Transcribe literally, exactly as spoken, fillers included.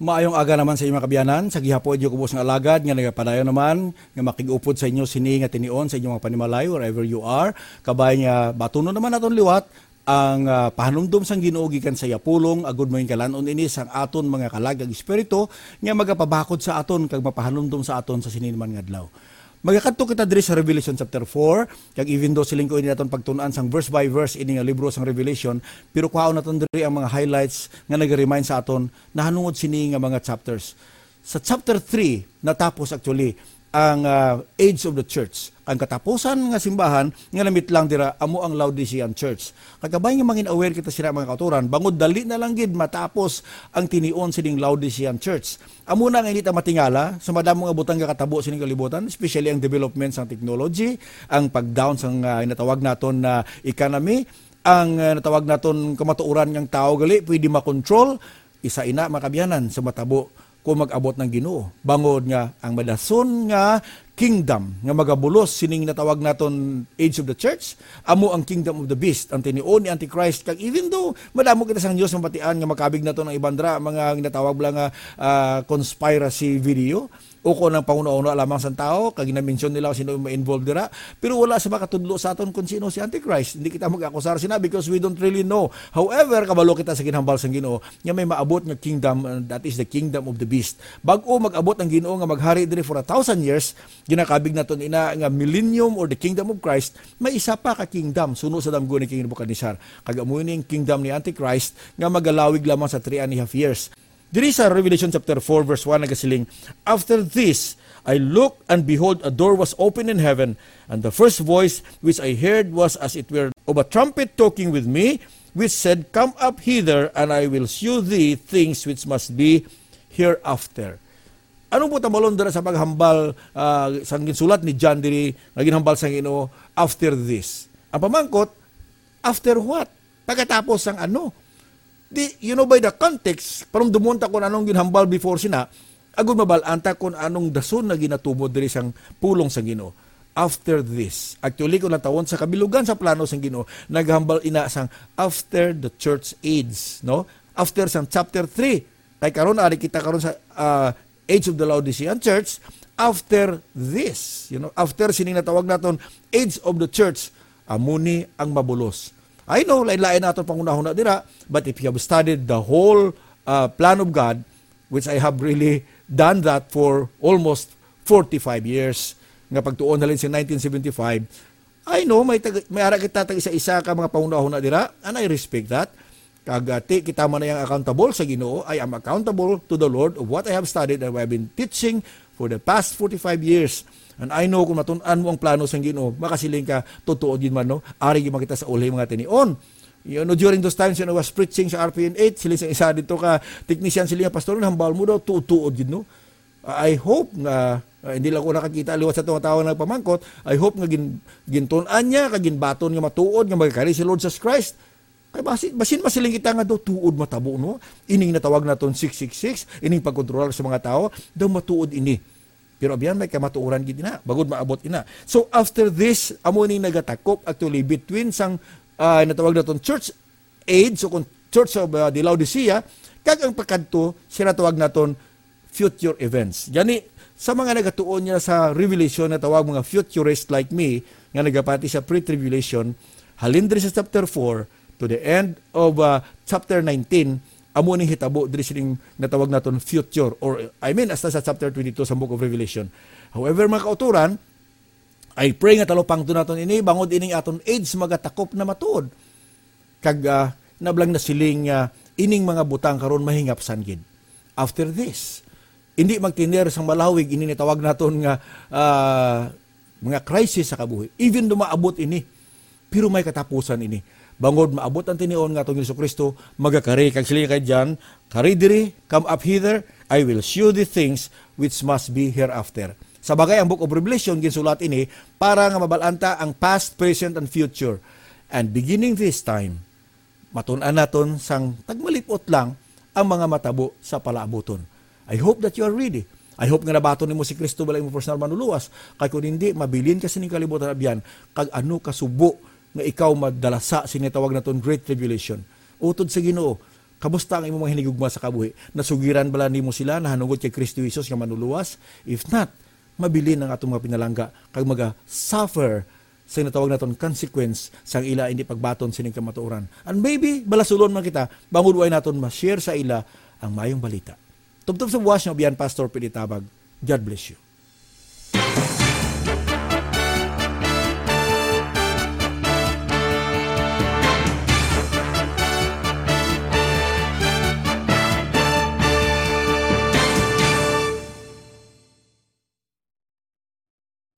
Maayong aga naman sa inyo, mga kaabyanan, sa gihapon inyo kubos nga alagad nga nagapadayon naman nga makig-upod sa inyo sini nga tinion sa inyong mga panimalay, wherever you are. Kabay nga batunon naman naton liwat ang, ah, pahanumdom sang Ginoo gikan sa iya pulong, agud mo kalan-on ini sang aton mga kalag kag espiritu nga magapabakod sa aton kag mapahanumdom sa aton sa sini man nga adlaw. Magakadto kita diri sa Revelation chapter four, kag even though siling ko ini naton pagtun-an sang verse by verse ini nga libro sang Revelation, pero kuhaon naton diri ang mga highlights nga nag-remind sa aton nahanungod sini nga mga chapters. Sa chapter three, natapos actually ang, ah, age of the church. Ang katapusan nga simbahan nga namitlang dira amo ang Laodicean church. Kagabay nga mangin aware kita sila, mga kautoran, bangod dali na lang gid matapos ang tinion sining Laodicean church. Amo na nga hindi ta matingala sa madamo nga butang nga katabo sining kalibutan, especially ang development sang technology, ang pag-down sang, ah, natawag naton na economy, ang, ah, natawag naton kamatuoran nga ang tawo gali pwede makontrol. Isa ina, mga kaabyanan, sa matabo kung mag-abot ng Ginoo. Bangod nga ang madason nga kingdom nga magabulos sining natawag naton age of the church, amo ang kingdom of the beast, ang tinion ni Antichrist. Kag even though madamo kita sang news mabatian nga makabig naton ang iban dira, mga ginatawag bala nga, ah, conspiracy video, o kung ang panghuna-huna lamang sang tawo, kag gina-mention nila sino may involved dira, pero wala sa makatudlo sa aton kung sino si Antichrist. Hindi kita mag-akusar sina because we don't really know. However, kabalo kita sa ginhambal sang Ginoo nga may maabot nga kingdom, uh, that is the kingdom of the beast. Bag-o mag-abot ang Ginoo nga maghari diri for a thousand years, ginakabig naton ina nga millennium or the kingdom of Christ, may isa pa ka kingdom suno sa damgo ni King Nebuchadnezzar. Kag amo ini ang kingdom ni Antichrist nga magalawig lamang sa three and a half years. Diri sa Revelation chapter four, verse one, nagasiling, "After this, I looked, and behold, a door was opened in heaven, and the first voice which I heard was as it were of a trumpet talking with me, which said, 'Come up hither, and I will shew thee things which must be hereafter.'" Anong buot hambalon dira sa paghambal, ah, sang ginsulat ni John diri nga ginhambal sang Ginoo, "After this"? Ang pamangkot, after what? Pagkatapos sang ano? Di, you know, by the context, parumdumon ta kung anong ginhambal before sina, agud mabal-an ta kung anong dason na ginatumod diri sang pulong sang Ginoo. After this. Actually, kung natawon sa kabilugan sa plano sang Ginoo, naghambal ina sang after the church age, no? After sang chapter three. Kay karon, ari kita karon sa, ah, age of the Laodicean church. After this, you know, after sining natawag naton age of the church, amo ni ang mabulos. I know, lain-lain na aton panghunahuna dira, but if you have studied the whole, uh, plan of God, which I have really done that for almost forty-five years, nga pagtuon halin sa nineteen seventy-five, I know, may tag-, may ara kita tag isa-isa ka mga panghunahuna dira, and I respect that. Kag, uh, ti, kita man ay ang accountable sa Ginoo, I am accountable to the Lord of what I have studied and what I've been teaching for the past forty-five years. And I know kung matun-an mo ang plano sang Ginoo, makasiling ka, "Totoo gid man, no? Ari gid man kita sa ulay mga tinion." You know, during those times when I was preaching sa R P N eight, sila sa isa dito ka technician, sila nga, "Pastor, nahambal mo daw, tuod-tuod gid, no?" I hope nga, ah, hindi lang ko nakakita liwat sa tunga tawo nga nagpamangkot. I hope nga gin-, gintun-an niya, kag ginbaton nga matuod nga magakari si Lord Jesus Christ. Kay basin, basin masiling kita nga daw tuod matabo, no? Ining natawag naton six six six, ining pagkontrolar sa mga tawo, daw matuod ini. Pero abyan, may kamatuoran gid ina, bagod maabot ina. So after this, amo ni nagatakop actually between sang, ah, natawag naton church age, o kung Church of, ah, the Laodicea, kag ang pagkadto sa natawag naton future events. Gani, sa mga nagatuon niya sa Revelation nga tawag mga futurist like me, nga nagapati sa pre-tribulation, halin diri sa chapter four to the end of, ah, chapter nineteen, amo ni hitabo diri sining natawag naton future, or, I mean, hasta sa chapter twenty-two sa Book of Revelation. However, mga kautoran, I pray nga talupangton naton ini, bangod ining aton age magatakop na matuod. Kag, ah, nablang nasiling nga ining mga butang karon mahingapsan gid. After this, hindi magtiner sang malawig ini natawag naton nga, ah, mga crisis sa kabuhi. Even though maabot ini, pero may katapusan ini. Bangod maabot ang tinion nga atong Jesu-Cristo magakari, kag siling kay John, "Kari diri, come up hither, I will show thee things which must be hereafter." Sa bagay, ang Book of Revelation, ginsulat ini para nga mabal-an ta ang past, present, and future. And beginning this time, matun-an naton sang tagmalip-ot lang ang mga matabo sa palaabuton. I hope that you are ready. I hope nga nabaton nimo si Cristo bala imong personal manluluwas. Kay kung hindi, mabilin ka sining kalibutan abyan, kag ano kasubo nga ikaw madalasa sini tawag naton Great Tribulation. Utod sa Ginoo, Kamusta ang imong mga hinigugma sa kabuhi? Nasugiran bala nimo sila nahanungod kay Kristo Jesus nga manuluwas? If not, mabilin ang atong mga pinalangga kag maga-suffer sa natawag naton consequence sang ila hindi pagbaton sining kamatuoran. And maybe, balasulon man kita, bangod way naton ma-share sa ila ang mayong balita. Tubtob sa buwas nga biyan, Pastor Pilitabag. God bless you.